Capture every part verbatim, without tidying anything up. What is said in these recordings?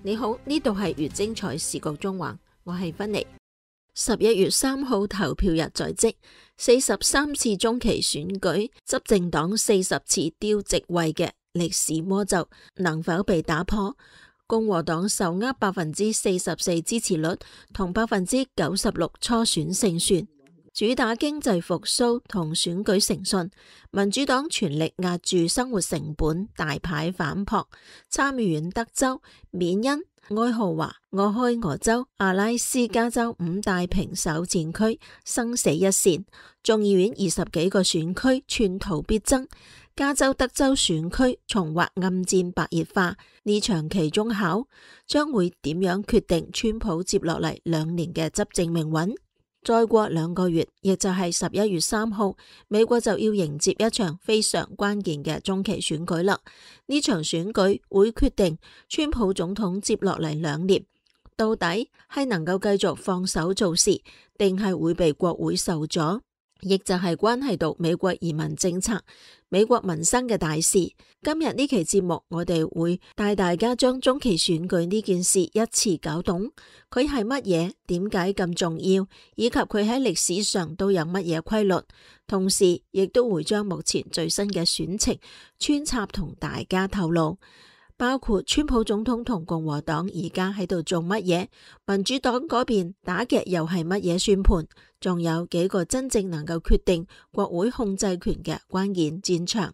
你好，呢度係越精彩時局中環，我係芬妮。十一月三號投票日在即，四十三次中期選舉，執政黨四十次丟席位嘅歷史魔咒能否被打破？共和黨手握百分之四十四支持率同百分之九十六初選勝算，主打經濟復甦同選舉誠信。民主黨全力壓住生活成本，大牌反撲。參議院德州、緬因、愛荷華、俄亥俄州、阿拉斯加州五大平手戰區生死一線，眾議院二十幾個選區寸土必爭。加州、德州選區重劃暗戰白熱化，呢場期中考將會點樣決定川普接落嚟兩年嘅執政命運？再過兩個月，亦就係十一月三號，美國就要迎接一場非常關鍵嘅中期選舉啦。呢場選舉會決定川普總統接落嚟兩年到底係能夠繼續放手做事，定係會被國會受阻，亦就係關係到美國移民政策、美國民生嘅大事。今日呢期節目，我哋會帶大家將中期選舉呢件事一次搞懂，佢係乜嘢，點解咁重要，以及佢喺歷史上都有乜嘢規律。同時，亦都會將目前最新嘅選情穿插同大家透露，包括川普總統同共和黨而家喺度做乜嘢，民主黨嗰邊打嘅又係乜嘢算盤，仲有幾個真正能夠決定國會控制權嘅關鍵戰場。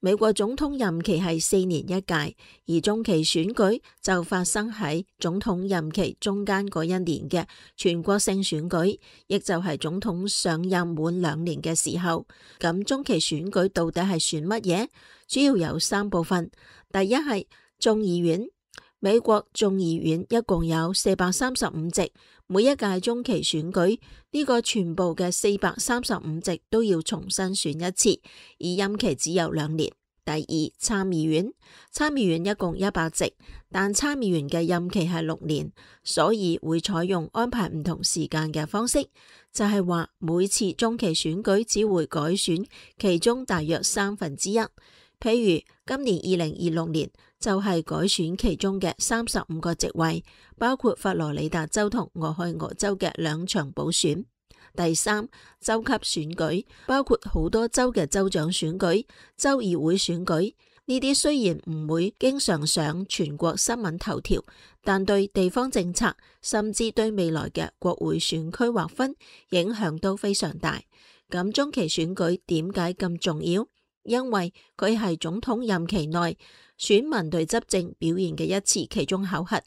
美國總統任期係四年一屆，而中期選舉就發生喺總統任期中間嗰一年嘅全國性選舉，亦就係總統上任滿兩年嘅時候。咁中期選舉到底係選乜嘢？主要有三部分。第一係眾議院，美國眾議院一共有四百三十五席，每一屆中期選舉呢個全部嘅四百三十五席都要重新選一次，而任期只有兩年。第二，參議院，參議院一共一百席，但參議員嘅任期係六年，所以會採用安排唔同時間嘅方式，就係話每次中期選舉只會改選其中大約三分之一。譬如今年二零二六年就係改選其中嘅三十五個席位，包括佛羅里達州同俄亥俄州嘅兩場補選。第三，州級選舉，包括好多州嘅州長選舉、州議會選舉。呢啲雖然唔會經常上全國新聞頭條，但對地方政策甚至對未來嘅國會選區劃分影響都非常大。咁中期選舉點解咁重要？因為佢係總統任期內選民對執政表現嘅一次期中考核。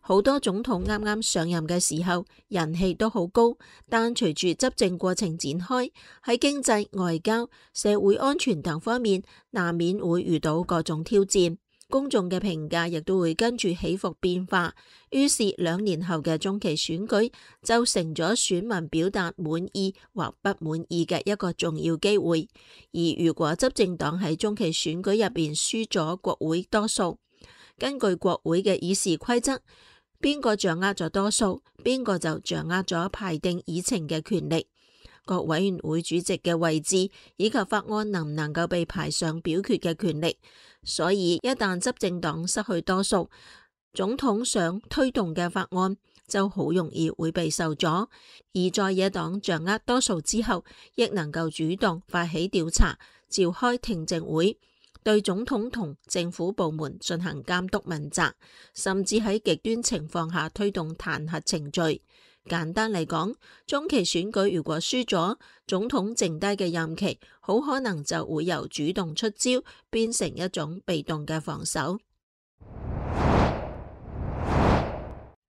好多總統啱啱上任嘅時候人氣都好高，但隨住執政過程展開，喺經濟、外交、社會安全等方面難免會遇到各種挑戰，公眾嘅評價亦都會跟住起伏變化。於是兩年後嘅中期選舉就成咗選民表達滿意或不滿意嘅一個重要機會。而如果執政黨喺中期選舉入邊輸咗國會多數，根據國會嘅議事規則，邊個掌握咗多數，邊個就掌握咗排定議程嘅權力、各委員會主席嘅位置以及法案能唔能夠被排上表決嘅權力。所以一旦執政黨失去多數，總統想推動嘅法案就好容易會被受阻。而在野黨掌握多數之後，亦能夠主動發起調查、召開聽證會，對總統同政府部門進行監督問責，甚至喺極端情況下推動彈劾程序。簡單嚟講，中期選舉如果輸咗，總統剩低嘅任期好可能就會由主動出招變成一種被動嘅防守。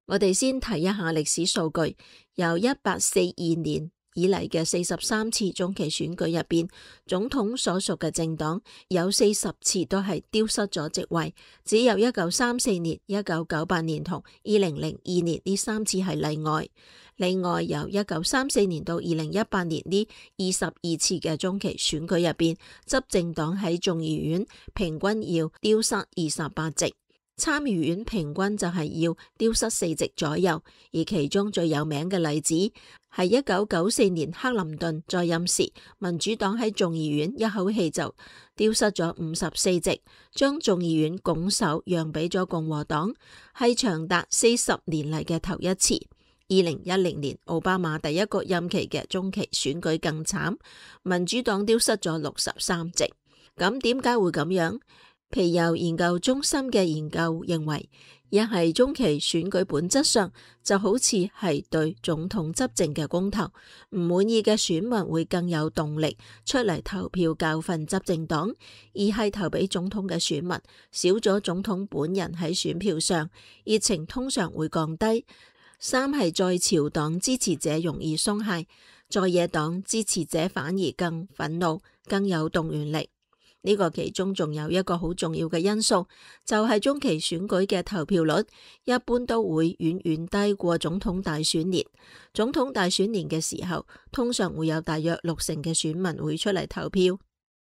我哋先睇一下歷史數據，由一八四二年以嚟嘅四十三次中期選舉入邊，總統所屬嘅政黨有四十次都係丟失咗席位，只有一九三四年、一九九八年同二零零二年呢三次係例外。另外，由一九三四年到二零一八年呢二十二次嘅中期選舉入邊，執政黨喺眾議院平均要丟失二十八席。參議院平均就係要丟失四席左右，而其中最有名嘅例子喺一九九四年克林頓在任時，民主黨喺眾議院一口氣就丟失咗五十四席，將眾議院拱手讓俾咗共和黨，係長達四十年嚟嘅頭一次。二零一零年奧巴馬第一個任期嘅中期選舉更慘，民主黨丟失咗六十三席。咁點解會咁樣？皮尤研究中心嘅研究認為，一係中期選舉本質上就好似係對總統執政嘅公投，唔滿意嘅選民會更有動力出嚟投票教訓執政黨；二係投俾總統嘅選民少咗總統本人喺選票上，熱情通常會降低；三係在朝黨支持者容易鬆懈，在野黨支持者反而更憤怒，更有動員力。呢個其中仲有一個好重要嘅因素，就係中期選舉嘅投票率一般都會遠遠低過總統大選年。總統大選年嘅時候，通常會有大約六成嘅選民會出嚟投票，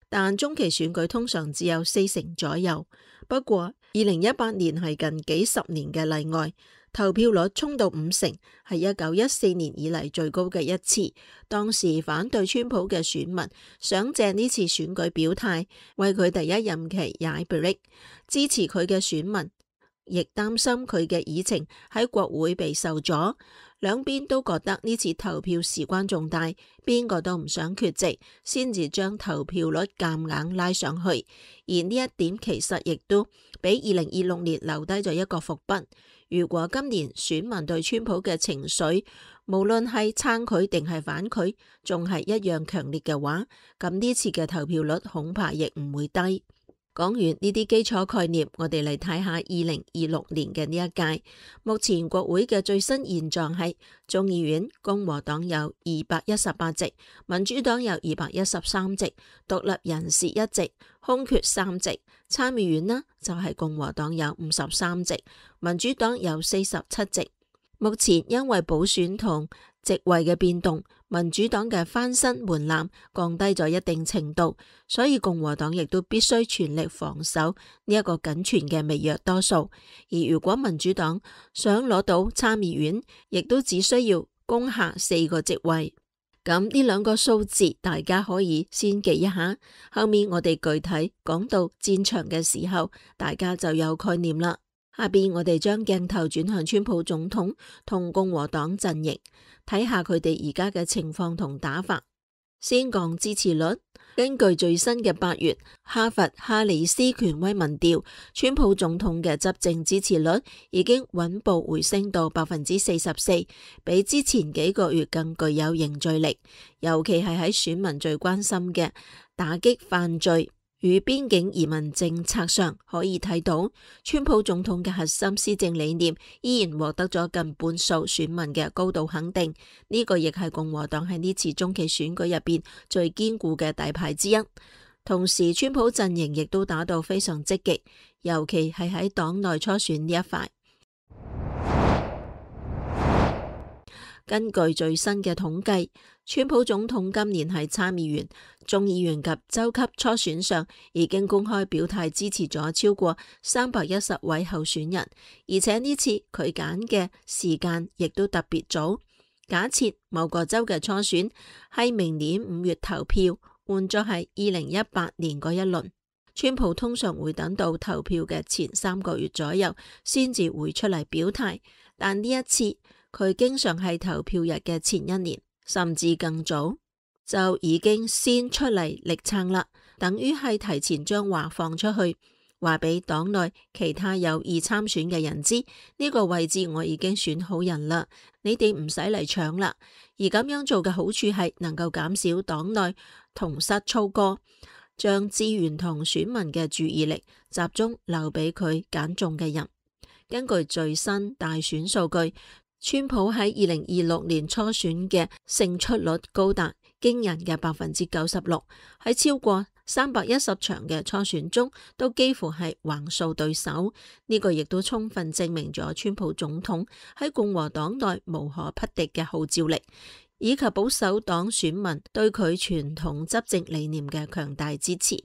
但中期選舉通常只有四成左右。不過二零一八年係近幾十年嘅例外，投票率衝到五成，係一九一四年以嚟最高嘅一次。當時反對川普嘅選民想借呢次選舉表態，為佢第一任期踩 brake；支持佢嘅選民亦擔心佢嘅議程喺國會被受阻。兩邊都覺得呢次投票事關重大，邊個都唔想缺席，先至將投票率夾硬拉上去。而呢一點其實亦都俾二零二六年留低咗一個伏筆。如果今年選民對川普嘅情緒，無論係撐佢定係反佢，仲係一樣強烈嘅話，咁呢次嘅投票率恐怕亦唔會低。講完呢啲基礎概念，我哋嚟睇下二零二六年嘅呢一屆。目前國會嘅最新現狀係眾議院共和黨有二百一十八席，民主黨有二百一十三席，獨立人士一席，空缺三席。參議院呢就係共和黨有五十三席，民主黨有四十七席。目前因為補選同席位嘅變動，民主黨嘅翻身門檻降低咗一定程度，所以共和黨亦都必須全力防守呢一個僅存嘅微弱多數。而如果民主黨想攞到參議院，亦都只需要攻下四個席位。咁呢兩個數字大家可以先記一下，後面我哋具體講到戰場嘅時候，大家就有概念啦。下邊我哋將鏡頭轉向川普總統同共和黨陣營，睇下佢哋而家嘅情況同打法。先講支持率，根據最新嘅八月哈佛哈里斯權威民調，川普總統嘅執政支持率已經穩步回升到百分之四十四，比之前幾個月更具有凝聚力。尤其係喺選民最關心嘅打擊犯罪與邊境移民政策上，可以睇到川普總統嘅核心施政理念依然獲得咗近半數選民嘅高度肯定。呢個亦係共和黨喺呢次中期選舉入邊最堅固嘅底牌之一。同時，川普陣營亦都打到非常積極，尤其係喺黨內初選呢一塊。根據最新嘅統計，川普總統今年喺參議員、眾議員及州級初選上已經公開表態支持咗超過三百一十位候選人，而且呢次佢揀嘅時間亦都特別早。假設某個州嘅初選係明年五月投票，換咗係二零一八年嗰一輪，川普通常會等到投票嘅前三個月左右先至會出嚟表態，但呢一次佢經常係投票日嘅前一年，甚至更早就已經先出嚟力撐啦，等於係提前將話放出去，話俾黨內其他有意參選嘅人知，呢個位置我已經選好人啦，你哋唔使嚟搶啦。而咁樣做嘅好處係能夠減少黨內同室操戈，將資源同選民嘅注意力集中留俾佢揀中嘅人。根據最新大選數據，川普喺二零二六年初選嘅勝出率高達驚人嘅百分之九十六，喺超過三百一十場嘅初選中，都幾乎係橫掃對手。呢個亦都充分證明咗川普總統喺共和黨內無可匹敵嘅號召力，以及保守黨選民對佢傳統執政理念嘅強大支持。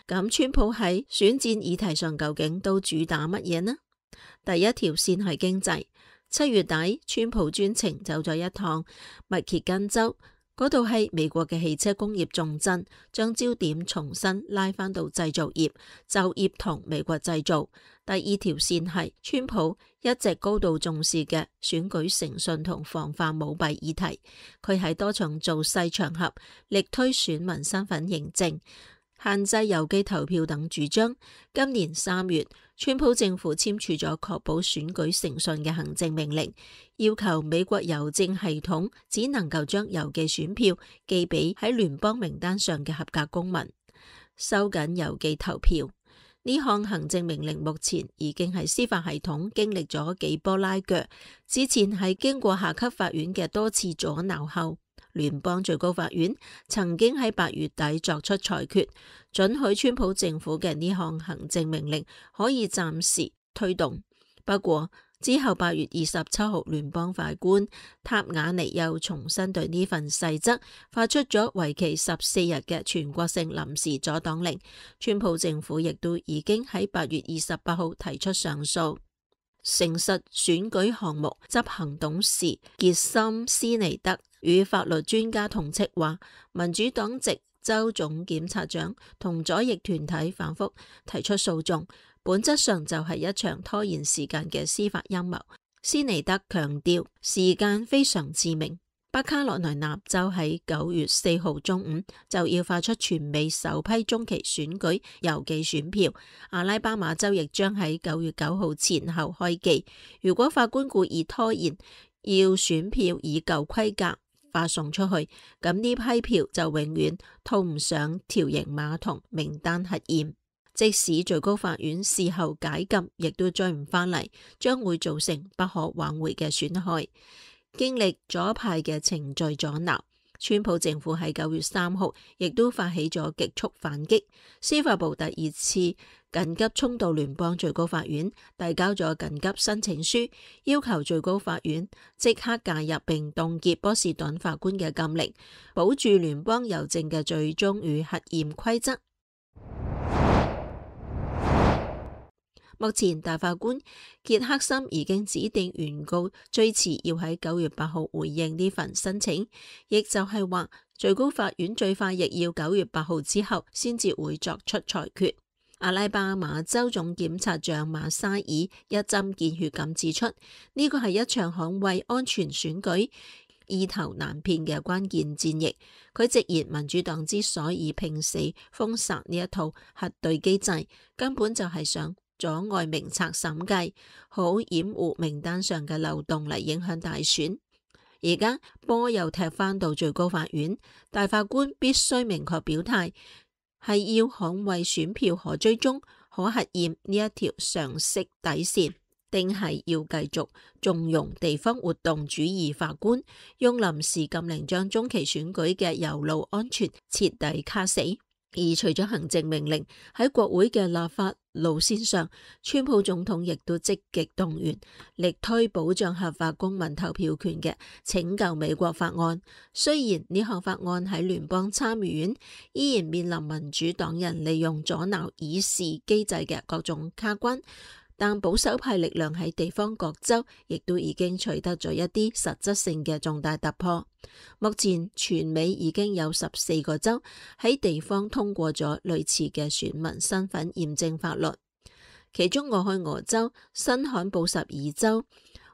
咁川普喺選戰議題上究竟都主打乜嘢呢？第一條線係經濟。七月底，川普專程走咗一趟密歇根州，嗰度係美國嘅汽車工業重鎮，將焦點重新拉返到製造業、就業同美國製造。第二條線係川普一直高度重視嘅選舉誠信同防範舞弊議題，佢喺多場造勢場合力推選民身份認證、限制郵寄投票等主張。今年三月，川普政府簽署咗確保選舉誠信嘅行政命令，要求美國郵政系統只能夠將郵寄選票寄俾喺聯邦名單上嘅合格公民，收緊郵寄投票。呢項行政命令目前已經喺司法系統經歷咗幾波拉鋸，之前係經過下級法院嘅多次阻撓後，聯邦最高法院曾經喺八月底作出裁決，准許川普政府嘅呢項行政命令可以暫時推動。不過之後八月二十七號，聯邦法官塔瓦尼又重新對呢份細則發出咗為期十四日嘅全國性臨時阻擋令。川普政府亦都已經喺八月二十八號提出上訴。誠實選舉項目執行董事傑森斯尼德與法律專家同斥話，民主黨籍州總檢察長同左翼團體反覆提出訴訟，本質上就係一場拖延時間嘅司法陰謀。斯尼德強調，時間非常致命。北卡羅來納州喺九月四號中午就要發出全美首批中期選舉郵寄選票，阿拉巴馬州亦將喺九月九號前後開寄。如果法官故意拖延，要選票以舊規格發送出去，咁呢批票就永遠套唔上條形碼同名單核驗。即使最高法院事後解禁，亦都追唔返嚟，將會造成不可挽回嘅損害。經歷左派嘅程序阻撓，川普政府喺九月三號亦都發起咗極速反擊。司法部第二次緊急衝到聯邦最高法院，遞交咗緊急申請書，要求最高法院即刻介入並凍結波士頓法官嘅禁令，保住聯邦郵政嘅最終與核驗規則。目前大法官傑克森已經指定原告最遲要喺九月八號回應呢份申請，亦就係話最高法院最快亦要九月八號之後先至會作出裁決。阿拉巴馬州總檢察長馬沙爾一針見血咁指出，呢個係一場捍衛安全選舉意頭難辨嘅關鍵戰役。佢直言，民主黨之所以拼死封殺呢一套核對機制，根本就係想阻礙名冊審計，好掩護名單上嘅漏洞嚟影響大選。而家波又踢返到最高法院，大法官必須明確表態，係要捍衛選票可追蹤、可核驗呢一條常識底線，定係要繼續縱容地方活動主義法官用臨時禁令將中期選舉嘅郵路安全徹底卡死。而除咗行政命令，喺國會嘅立法路線上，川普總統亦都積極動員，力推保障合法公民投票權嘅拯救美國法案。雖然呢項法案喺聯邦參議院依然面臨民主黨人利用阻撓議事機制嘅各種卡關，但保守派力量喺地方各州亦都已經取得咗一啲實質性嘅重大突破。目前全美已經有十四個州喺地方通過咗類似嘅選民身份驗證法律，其中俄亥俄州、新罕布什爾州、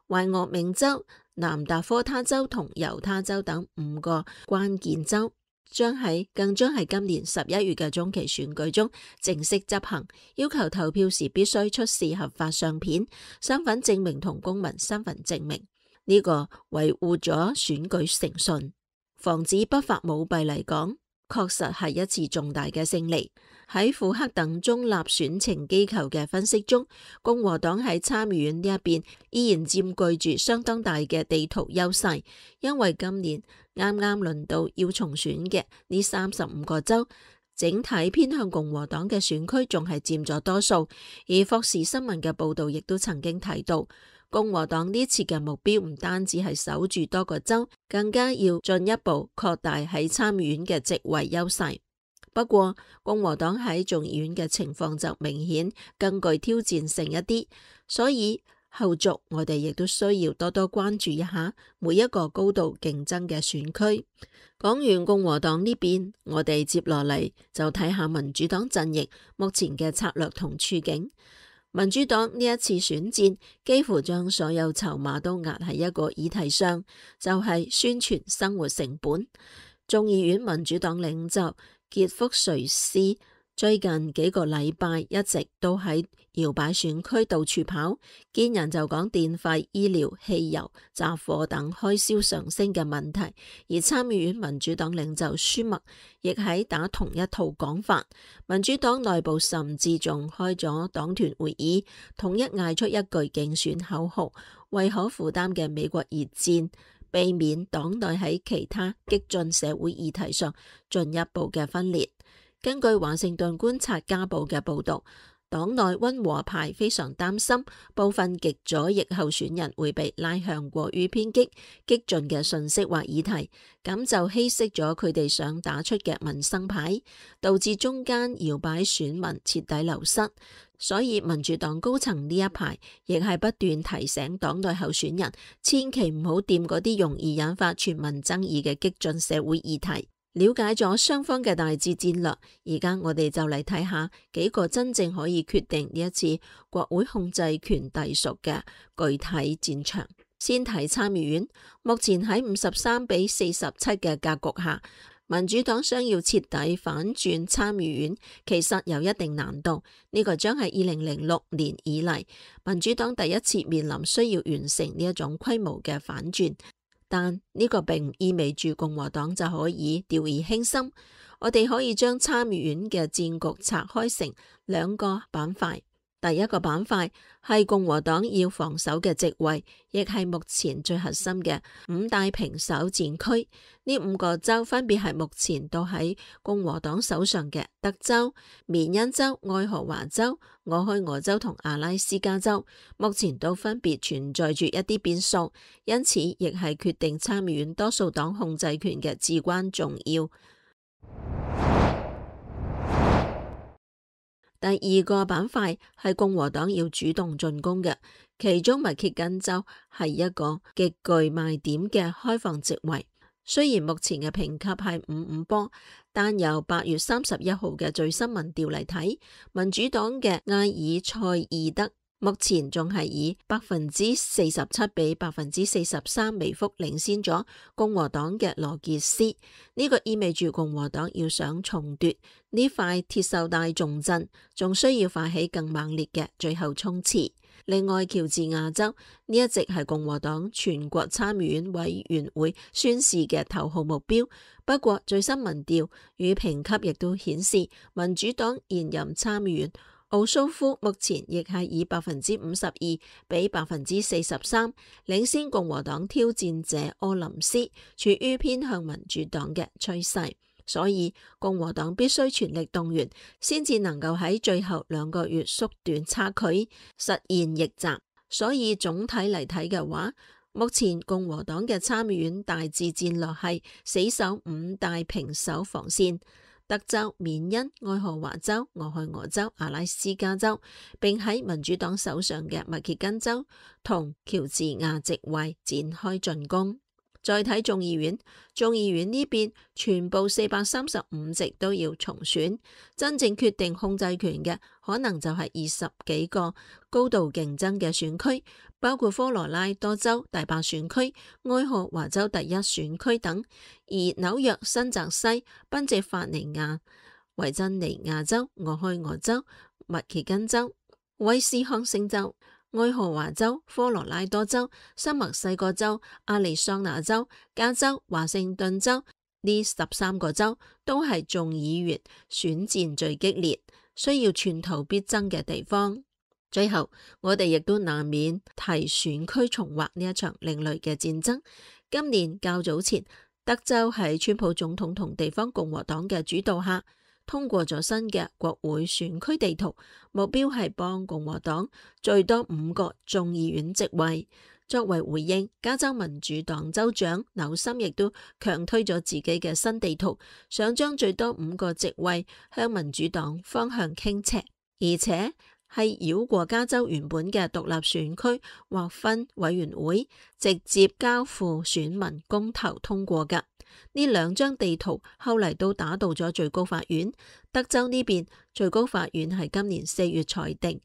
懷俄明州、南達科他州同猶他州等五個關鍵州將喺更將喺今年十一月嘅中期選舉中正式執行，要求投票時必須出示合法相片、身份證明同公民身份證明。呢個維護咗選舉誠信、防止不法舞弊嚟講，確實係一次重大嘅勝利。喺庫克等中立選情機構嘅分析中，共和黨喺參議院呢一邊依然佔據住相當大嘅地圖優勢，因為今年啱啱輪到要重選嘅呢三十五個州，整體偏向共和黨嘅選區仲係佔咗多數。而霍士新聞嘅報道亦都曾經提到，共和黨呢次嘅目標唔單止係守住多個州，更加要進一步擴大喺參議院嘅席位優勢。不過，共和黨喺眾議院嘅情況就明顯更具挑戰性一啲，所以後續我哋亦都需要多多關注一下每一個高度競爭嘅選區。講完共和黨呢邊，我哋接落嚟就睇下民主黨陣營目前嘅策略同處境。民主黨呢一次選戰幾乎將所有籌碼都壓喺一個議題上，就係宣傳生活成本。眾議院民主黨領袖傑福瑞斯最近幾個禮拜一直都喺搖擺選區到處跑，見人就講電費、醫療、汽油、雜貨等開銷上升嘅問題。而參議院民主黨領袖舒默亦喺打同一套講法。民主黨內部甚至仲開咗黨團會議，統一嗌出一句競選口號：為可負擔嘅美國而戰，避免黨內喺其他激進社會議題上進一步嘅分裂。根據華盛頓觀察家報嘅報道，黨內溫和派非常擔心部分極左翼候選人會被拉向過於偏激、激進嘅信息或議題，咁就稀釋咗佢哋想打出嘅民生牌，導致中間搖擺選民徹底流失。所以民主黨高層呢一排亦係不斷提醒黨內候選人，千祈唔好掂嗰啲容易引發全民爭議嘅激進社會議題。了解咗雙方嘅大致戰略，而家我哋就嚟睇下幾個真正可以決定呢一次國會控制權隸屬嘅具體戰場。先睇參議院，目前喺五十三比四十七嘅格局下，民主黨想要徹底反轉參議院，其實有一定難度。呢、這個將係二零零六年以嚟民主黨第一次面臨需要完成呢一種規模嘅反轉。但呢個並唔意味住共和黨就可以掉以輕心。我哋可以將參議院嘅戰局拆開成兩個板塊。第一個板塊係共和黨要防守嘅席位，亦係目前最核心嘅五大平手戰區。呢五個州分別係目前都喺共和黨手上嘅德州、緬因州、愛荷華州、俄亥俄州同阿拉斯加州，目前都分別存在住一啲變數，因此亦係決定參議院多數黨控制權嘅至關重要。第二個板塊係共和黨要主動進攻嘅，其中密歇根州係一個極具賣點嘅開放席位。雖然目前嘅評級係五五波，但由八月三十一號嘅最新民調嚟睇，民主黨嘅埃爾塞爾德目前仲係以百分之四十七比百分之四十三微幅領先咗共和黨嘅羅傑斯。呢、這個意味住共和黨要想重奪呢塊鐵鏽帶重鎮，仲需要發起更猛烈嘅最後衝刺。另外，喬治亞州呢一直係共和黨全國參議院委員會宣示嘅頭號目標。不過最新民調與評級亦都顯示，民主黨現任參議員奧蘇夫目前亦係以百分之五十二比百分之四十三領先共和黨挑戰者柯林斯，處於偏向民主黨嘅趨勢。所以共和黨必須全力動員，先至能夠喺最後兩個月縮短差距，實現逆襲。所以總體嚟睇嘅話，目前共和黨嘅參議院大致戰略係死守五大平手防線：德州、緬因、愛荷華州、俄亥俄州、阿拉斯加州，並喺民主黨手上嘅密歇根州同喬治亞席位展開進攻。再睇眾議院，眾議院呢邊全部四百三十五席都要重選，真正決定控制權嘅可能就係二十幾個高度競爭嘅選區，包括科羅拉多州第八選區、愛荷華州第一選區等，而紐約、新澤西、賓夕法尼亞、維珍尼亞州、俄亥俄州、密歇根州、威斯康星州、愛荷華州、科羅拉多州、新墨西哥州、亞利桑那州、加州、華盛頓州，呢十三個州都係眾議員選戰最激烈、需要寸土必爭嘅地方。最後，我哋亦都難免提選區重劃呢一場另類嘅戰爭。今年較早前，德州喺川普總統同地方共和黨嘅主導下，通過咗新嘅國會選區地圖，目標係幫共和黨最多五個眾議院席位。作為回應，加州民主黨州長紐森亦都強推咗自己嘅新地圖，想將最多五個席位向民主黨方向傾斜，而且係繞過加州原本嘅獨立選區劃分委員會，直接交付選民公投通過㗎。呢兩張地圖後嚟都打到咗最高法院。德州呢邊最高法院係今年四月裁定，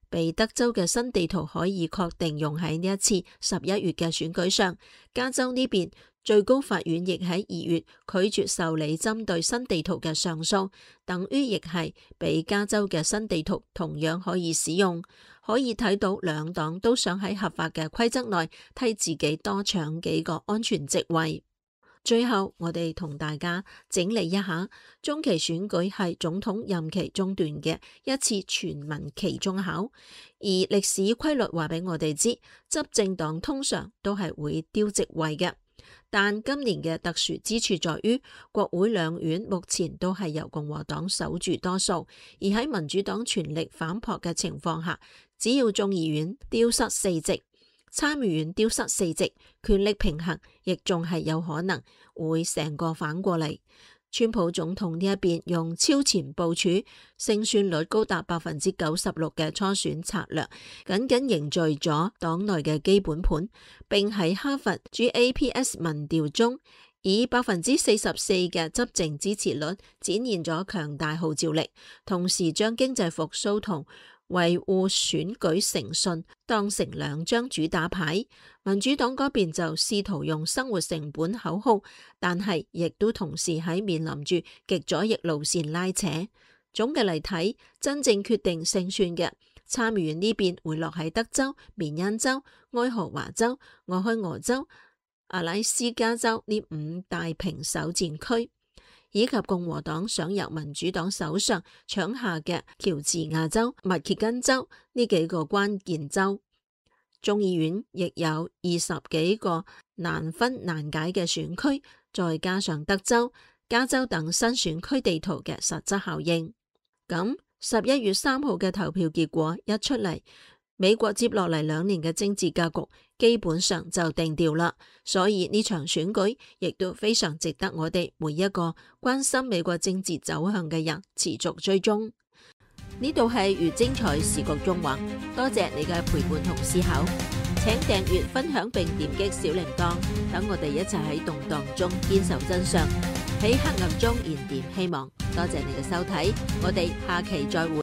被德州嘅新地圖可以確定用喺呢一次十一月嘅選舉上。加州呢邊最高法院亦喺二月拒絕受理針對新地圖嘅上訴，等於亦係俾加州嘅新地圖同樣可以使用。可以睇到兩黨都想喺合法嘅規則內替自己多搶幾個安全席位。最後，我哋同大家整理一下，中期選舉係總統任期中段嘅一次全民期中考，而歷史規律話俾我哋知，執政黨通常都係會丟席位嘅。但今年嘅特殊之處在於，國會兩院目前都係由共和黨守住多數，而喺民主黨全力反撲嘅情況下，只要眾議院丟失四席，參議院丟失四席，權力平衡亦仲係有可能會成個反過嚟。川普總統呢一邊用超前部署、勝算率高達百分之九十六嘅初選策略，僅僅凝聚咗黨內嘅基本盤，並喺哈佛 G A P S 民調中以百分之四十四嘅執政支持率展現咗強大號召力，同時將經濟復甦同維護選舉誠信當成兩張主打牌。民主黨嗰邊就試圖用生活成本口號，但係亦都同時喺面臨住極左翼路線拉扯。總嘅嚟睇，真正決定勝算嘅參議院呢邊會落喺德州、緬因州、愛荷華州、俄亥俄州、阿拉斯加州呢五大平手戰區，以及共和黨想由民主黨手上搶下嘅喬治亞州、密歇根州呢幾個關鍵州。眾議院亦有二十幾個難分難解嘅選區，再加上德州、加州等新選區地圖嘅實質效應。咁十一月三號嘅投票結果一出嚟，美國接落嚟兩年嘅政治格局基本上就定調啦，所以呢場選舉亦都非常值得我哋每一個關心美國政治走向嘅人持續追蹤。呢度係越精彩時局縱橫，多謝你嘅陪伴同思考，請訂閱、分享並點擊小鈴鐺，等我哋一齊喺動盪中堅守真相，喺黑暗中燃點希望。多謝你嘅收睇，我哋下期再會。